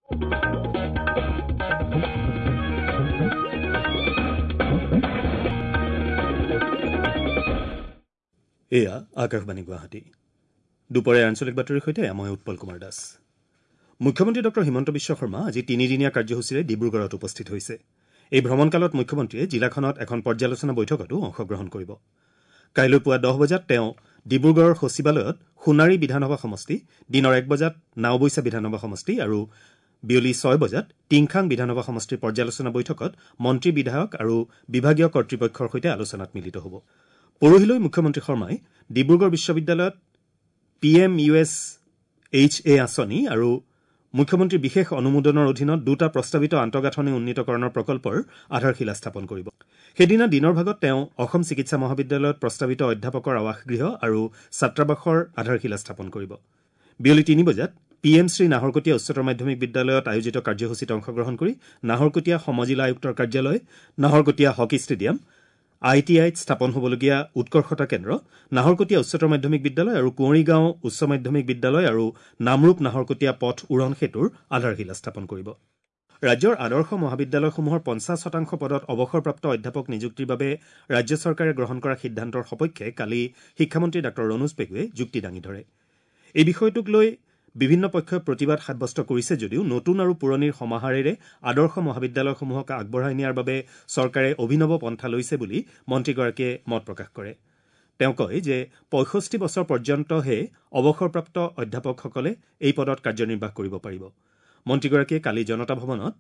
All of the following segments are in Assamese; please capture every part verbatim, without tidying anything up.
এয়া আকাশবাণী গুৱাহাটী। দুপৰীয়া আঞ্চলিক বাতৰিৰ সৈতে মই উৎপল কুমাৰ দাস। মুখ্যমন্ত্ৰী ডক্টৰ হিমন্ত বিশ্ব শৰ্মা আজি তিনিদিনীয়া কাৰ্যসূচীৰে ডিব্ৰুগড়ত উপস্থিত হৈছে। এই ভ্ৰমণকালত মুখ্যমন্ত্ৰীয়ে জিলাখনত এখন পৰ্যালোচনা বৈঠকতো অংশগ্ৰহণ কৰিব। কাইলৈ পুৱা দহ বজাত তেওঁ ডিব্ৰুগড়ৰ সচিবালয়ত সোণাৰী বিধানসভা সমষ্টি, দিনৰ এক বজাত নাওবৈচা বিধানসভা সমষ্টি আৰু বিয়লি ছয় বজাত টিংখাং বিধানসভা সমষ্টিৰ পৰ্যালোচনা বৈঠকত মন্ত্ৰী, বিধায়ক আৰু বিভাগীয় কৰ্তৃপক্ষৰ সৈতে আলোচনাত মিলিত হ'ব। পৰহিলৈ মুখ্যমন্ত্ৰী শৰ্মাই ডিব্ৰুগড় বিশ্ববিদ্যালয়ত P M U S H A আঁচনি আৰু মুখ্যমন্ত্ৰীৰ বিশেষ অনুমোদনৰ অধীনত দুটা প্ৰস্তাৱিত আন্তঃগাঁথনি উন্নীতকৰণৰ প্ৰকল্পৰ আধাৰশিলা স্থাপন কৰিব। সেইদিনা দিনৰ ভাগত তেওঁ অসম চিকিৎসা মহাবিদ্যালয়ত প্ৰস্তাৱিত অধ্যাপকৰ আৱাসগৃহ আৰু ছাত্ৰাবাসৰ আধাৰশিলা স্থাপন কৰিব। বিয়লি তিনি বজাত পি এম শ্ৰী নাহৰকটীয়া উচ্চতৰ মাধ্যমিক বিদ্যালয়ত আয়োজিত কাৰ্যসূচীত অংশগ্ৰহণ কৰি নাহৰকটীয়া সমজিলা আয়ুক্তৰ কাৰ্যালয়, Naharkatia hockey stadium, I T আইত স্থাপন হ'বলগীয়া উৎকৰ্ষতা কেন্দ্ৰ, নাহৰকটীয়া উচ্চতৰ মাধ্যমিক বিদ্যালয় আৰু কুঁৱৰীগাঁও উচ্চ মাধ্যমিক বিদ্যালয় আৰু নামৰূপ নাহৰকটীয়া পথ উৰণ সেতুৰ আধাৰশিলা স্থাপন কৰিব। ৰাজ্যৰ আদৰ্শ মহাবিদ্যালয়সমূহৰ পঞ্চাছ শতাংশ পদত অৱসৰপ্ৰাপ্ত অধ্যাপক নিযুক্তিৰ বাবে ৰাজ্য চৰকাৰে গ্ৰহণ কৰা সিদ্ধান্তৰ সপক্ষে কালি শিক্ষামন্ত্ৰী ডাঃ ৰণোজ পেগুৱে যুক্তি দাঙি ধৰে। এই বিষয়টোক লৈ বিভিন্ন পক্ষই প্ৰতিবাদ সাব্যস্ত কৰিছে যদিও নতুন আৰু পুৰণিৰ সমাহাৰেৰে আদৰ্শ মহাবিদ্যালয়সমূহক আগবঢ়াই নিয়াৰ বাবে চৰকাৰে অভিনৱ পন্থা লৈছে বুলি মন্ত্ৰীগৰাকীয়ে মত প্ৰকাশ কৰে। তেওঁ কয় যে পঁয়ষষ্ঠি বছৰ পৰ্যন্তহে অৱসৰপ্ৰাপ্ত অধ্যাপকসকলে এই পদত কাৰ্যনিৰ্বাহ কৰিব পাৰিব। মন্ত্ৰীগৰাকীয়ে কালি জনতা ভৱনত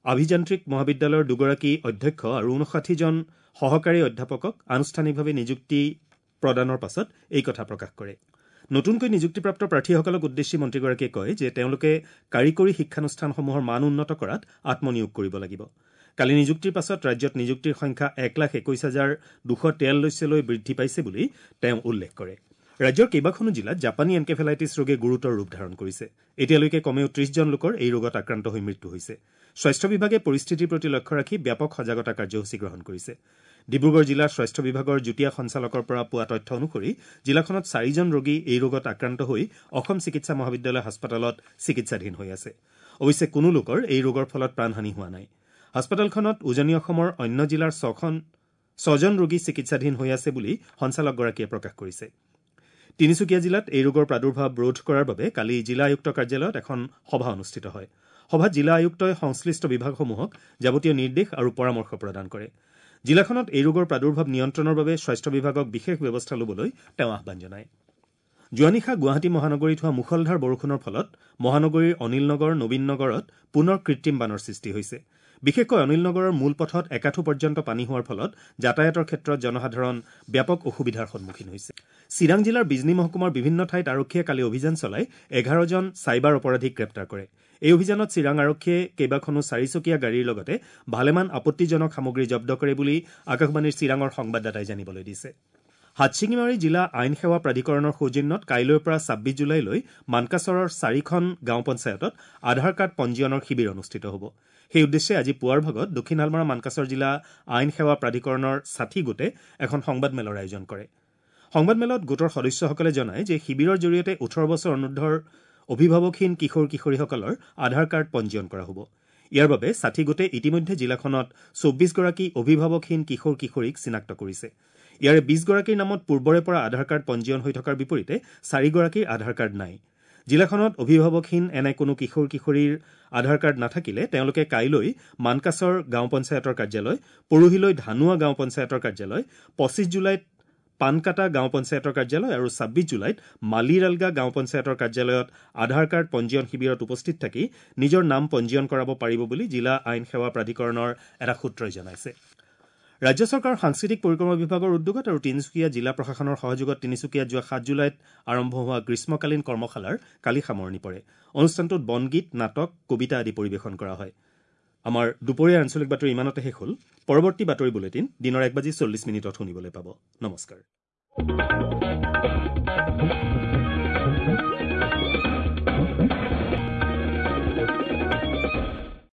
আভিযান্ত্ৰিক মহাবিদ্যালয়ৰ দুগৰাকী অধ্যক্ষ আৰু ঊনষাঠিজন সহকাৰী অধ্যাপকক আনুষ্ঠানিকভাৱে নিযুক্তি প্ৰদানৰ পাছত এই কথা প্ৰকাশ কৰে। নতুনকৈ নিযুক্তিপ্ৰাপ্ত প্ৰাৰ্থীসকলক উদ্দেশ্যি মন্ত্ৰীগৰাকীয়ে কয় যে তেওঁলোকে কাৰিকৰী শিক্ষানুষ্ঠানসমূহৰ মান উন্নত কৰাত আত্মনিয়োগ কৰিব লাগিব। কালি নিযুক্তিৰ পাছত ৰাজ্যত নিযুক্তিৰ সংখ্যা এক লাখ একৈশ হাজাৰ দুশ তেয়াল্লিছলৈ বৃদ্ধি পাইছে বুলি তেওঁ উল্লেখ কৰে। ৰাজ্যৰ কেইবাখনো জিলাত জাপানী এনকেফেলাইটিছ ৰোগে গুৰুতৰ ৰূপ ধাৰণ কৰিছে। এতিয়ালৈকে কমেও ত্ৰিশজন লোকৰ এই ৰোগত আক্ৰান্ত হৈ মৃত্যু হৈছে। স্বাস্থ্য বিভাগে পৰিস্থিতিৰ প্ৰতি লক্ষ্য ৰাখি ব্যাপক সজাগতা কাৰ্যসূচী গ্ৰহণ কৰিছে। ডিব্ৰুগড় জিলাৰ স্বাস্থ্য বিভাগৰ যুটীয়া সঞ্চালকৰ পৰা পোৱা তথ্য অনুসৰি জিলাখনত চাৰিজন ৰোগী এই ৰোগত আক্ৰান্ত হৈ অসম চিকিৎসা মহাবিদ্যালয় হাস্পতালত চিকিৎসাধীন হৈ আছে। অৱশ্যে কোনো লোকৰ এই ৰোগৰ ফলত প্ৰাণহানি হোৱা নাই। হাস্পতালখনত উজনি অসমৰ অন্য জিলাৰ ছখন ছজন ৰোগী চিকিৎসাধীন হৈ আছে বুলি সঞ্চালকগৰাকীয়ে প্ৰকাশ কৰিছে। তিনিচুকীয়া জিলাত এই ৰোগৰ প্ৰাদুৰ্ভাৱ ৰোধ কৰাৰ বাবে কালি জিলা আয়ুক্ত কাৰ্যালয়ত এখন সভা অনুষ্ঠিত হয়। সভাত জিলা আয়ুক্তই সংশ্লিষ্ট বিভাগসমূহক যাৱতীয় নিৰ্দেশ আৰু পৰামৰ্শ প্ৰদান কৰে। জিলাখনত এই ৰোগৰ প্ৰাদুৰ্ভাৱ নিয়ন্ত্ৰণৰ বাবে স্বাস্থ্য বিভাগক বিশেষ ব্যৱস্থা ল'বলৈ তেওঁ আহ্বান জনায়। যোৱা নিশা গুৱাহাটী মহানগৰীত হোৱা মুষলধাৰ বৰষুণৰ ফলত মহানগৰীৰ অনিল নগৰ, নবীন নগৰত পুনৰ কৃত্ৰিম বানৰ সৃষ্টি হৈছে। বিশেষকৈ অনিল নগৰৰ মূল পথত একাঠু পৰ্যন্ত পানী হোৱাৰ ফলত যাতায়াতৰ ক্ষেত্ৰত জনসাধাৰণ ব্যাপক অসুবিধাৰ সন্মুখীন হৈছে। চিৰাং জিলাৰ বিজনী মহকুমাৰ বিভিন্ন ঠাইত আৰক্ষীয়ে কালি অভিযান চলাই এঘাৰজন চাইবাৰ অপৰাধীক গ্ৰেপ্তাৰ কৰে। এই অভিযানত চিৰাং আৰক্ষীয়ে কেইবাখনো চাৰিচকীয়া গাড়ীৰ লগতে ভালেমান আপত্তিজনক সামগ্ৰী জব্দ কৰে বুলি আকাশবাণীৰ চিৰাঙৰ সংবাদদাতাই জানিবলৈ দিছে। হাটশিঙিমাৰী জিলা আইন সেৱা প্ৰাধিকৰণৰ সৌজন্যত কাইলৈৰ পৰা ছাব্বিছ জুলাইলৈ মানকাচৰৰ চাৰিখন গাঁও পঞ্চায়তত আধাৰ কাৰ্ড পঞ্জীয়নৰ শিবিৰ অনুষ্ঠিত হ'ব। সেই উদ্দেশ্যে আজি পুৱাৰ ভাগত দক্ষিণ শালমৰা মানকাচৰ জিলা আইন সেৱা প্ৰাধিকৰণৰ ষাঠি গোটে এখন সংবাদমেলৰ আয়োজন কৰে। সংবাদমেলত গোটৰ সদস্যসকলে জনায় যে শিবিৰৰ জৰিয়তে ওঠৰ বছৰ অনুৰ্ধৰ অভিভাৱকহীন কিশোৰ কিশোৰীসকলৰ আধাৰ কাৰ্ড পঞ্জীয়ন কৰা হ'ব। ইয়াৰ বাবে ষাঠি গোটে ইতিমধ্যে জিলাখনত চৌব্বিছগৰাকী অভিভাৱকহীন কিশোৰ কিশোৰীক চিনাক্ত কৰিছে। ইয়াৰে বিছগৰাকীৰ নামত পূৰ্বৰে পৰা আধাৰ কাৰ্ড পঞ্জীয়ন হৈ থকাৰ বিপৰীতে চাৰিগৰাকীৰ আধাৰ কাৰ্ড নাই। জিলাখনত অভিভাৱকহীন এনে কোনো কিশোৰ কিশোৰীৰ আধাৰ কাৰ্ড নাথাকিলে তেওঁলোকে কাইলৈ মানকাচৰ গাঁও পঞ্চায়তৰ কাৰ্যালয়, পৰহিলৈ ধানুৱা গাঁও পঞ্চায়তৰ কাৰ্যালয়, পঁচিছ জুলাইত পানকাটা গাঁও পঞ্চায়তৰ কাৰ্যালয় আৰু ছাব্বিছ জুলাইত মালিৰালগা গাঁও পঞ্চায়তৰ কাৰ্যালয়ত আধাৰ কাৰ্ড পঞ্জীয়ন শিবিৰত উপস্থিত থাকি নিজৰ নাম পঞ্জীয়ন কৰাব পাৰিব বুলি জিলা আইন সেৱা প্ৰাধিকৰণৰ এটা সূত্ৰই জনাইছে। ৰাজ্য চৰকাৰৰ সাংস্কৃতিক পৰিক্ৰমা বিভাগৰ উদ্যোগত আৰু তিনিচুকীয়া জিলা প্ৰশাসনৰ সহযোগত তিনিচুকীয়াত যোৱা সাত জুলাইত আৰম্ভ হোৱা গ্ৰীষ্মকালীন কৰ্মশালাৰ কালি সামৰণি পৰে। অনুষ্ঠানটোত বনগীত, নাটক, কবিতা আদি পৰিৱেশন কৰা হয়। আমাৰ দুপৰীয়াৰ আঞ্চলিক বাতৰি ইমানতে শেষ হ'ল। পৰৱৰ্তী বাতৰি বুলেটিন দিনৰ এক বাজি চল্লিছ মিনিটত শুনিবলৈ পাব। নমস্কাৰ।